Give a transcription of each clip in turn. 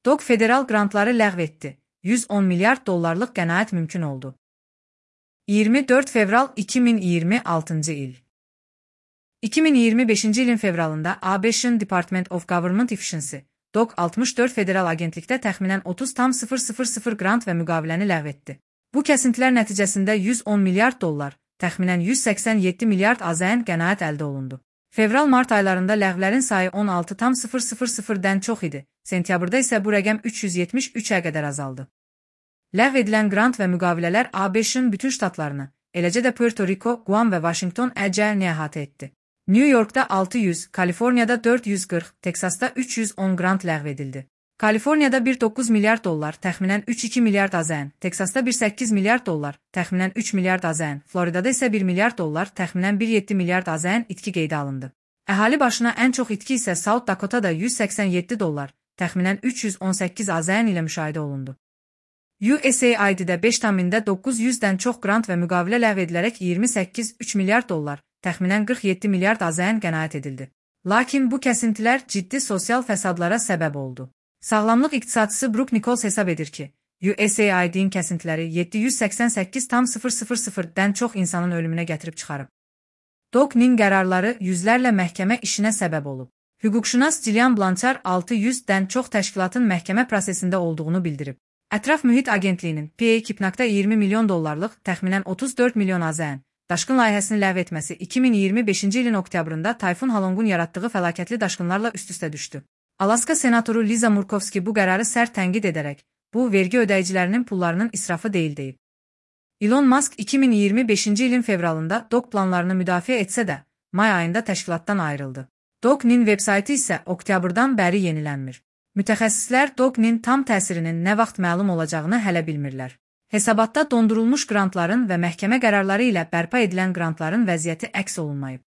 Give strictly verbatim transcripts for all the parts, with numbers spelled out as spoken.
D O Q federal qrantları ləğv etdi. yüz on milyard dollarlıq qənaət mümkün oldu. iyirmi dörd fevral iki min iyirmi altıncı il. iki min iyirmi beşinci ilin fevralında A B Ş'ın Department of Government Efficiency, D O Q altmış dörd federal agentlikdə təxminən otuz tam sıfır sıfır sıfır qrant və müqaviləni ləğv etdi. Bu kəsintilər nəticəsində yüz on milyard dollar, təxminən yüz səksən yeddi milyard AZN qənaət əldə olundu. Fevral-mart aylarında ləğvlərin sayı on altı tam sıfır sıfır sıfırdən çox idi, sentyabrda isə bu rəqəm üç yüz yetmiş üçə qədər azaldı. Ləğv edilən qrant və müqavilələr A B Ş'ın bütün ştatlarını, eləcə də Puerto Rico, Guam və Washington əcəlini əhatə etdi. New Yorkda altı yüz, Kaliforniyada dörd yüz qırx, Teksasda üç yüz on qrant ləğv edildi. Kaliforniyada bir nöqtə doqquz milyard dollar, təxminən üç nöqtə iki milyard AZN, Teksasda bir nöqtə səkkiz milyard dollar, təxminən üç milyard AZN, Floridada isə bir milyard dollar, təxminən bir nöqtə yeddi milyard AZN itki qeydə alındı. Əhali başına ən çox itki isə South Dakotada yüz səksən yeddi dollar, təxminən üç yüz on səkkiz AZN ilə müşahidə olundu. U S A I D'də beş tam doqquz yüzdən çox qrant və müqavilə ləğv edilərək iyirmi səkkiz nöqtə üç milyard dollar, təxminən qırx yeddi milyard AZN qənaət edildi. Lakin bu kəsintilər ciddi sosial fəsadlara səbəb oldu. Sağlamlıq iqtisadçısı Brooke Nichols hesab edir ki, U S A I D'nin kəsintiləri yeddi yüz səksən səkkiz tam sıfır sıfır sıfırdən çox insanın ölümünə gətirib çıxarıb. D O Q-nin qərarları yüzlərlə məhkəmə işinə səbəb olub. Hüquqşünas Gillian Blanchard altı yüzdən çox təşkilatın məhkəmə prosesində olduğunu bildirib. Ətraf Mühit Agentliyinin P A iki nöqtə iyirmi milyon dollarlıq, təxminən otuz dörd milyon AZN, daşqın layihəsini ləğv etməsi iki min iyirmi beşinci ilin oktyabrında Tayfun Halongun yaratdığı fəlakətli daşqınlarla üst-üstə düşdü. Alaska senatoru Liza Murkowski bu qərarı sərt tənqid edərək, bu, vergi ödəyicilərinin pullarının israfı deyil deyib. Elon Musk iki min iyirmi beşinci ilin fevralında D O Q planlarını müdafiə etsə də, may ayında təşkilatdan ayrıldı. D O Q-nin veb-saytı isə oktyabrdan bəri yenilənmir. Mütəxəssislər D O Q-nin tam təsirinin nə vaxt məlum olacağını hələ bilmirlər. Hesabatda dondurulmuş qrantların və məhkəmə qərarları ilə bərpa edilən qrantların vəziyyəti əks olunmayıb.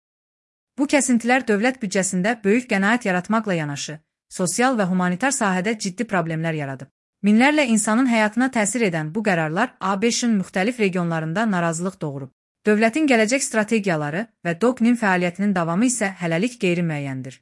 Bu kəsintilər dövlət büdcəsində böyük qənaət yaratmaqla yanaşı, sosial və humanitar sahədə ciddi problemlər yaradıb. Minlərlə insanın həyatına təsir edən bu qərarlar A B Ş'ın müxtəlif regionlarında narazılıq doğurub. Dövlətin gələcək strategiyaları və D O Q-nin fəaliyyətinin davamı isə hələlik qeyri-müəyyəndir.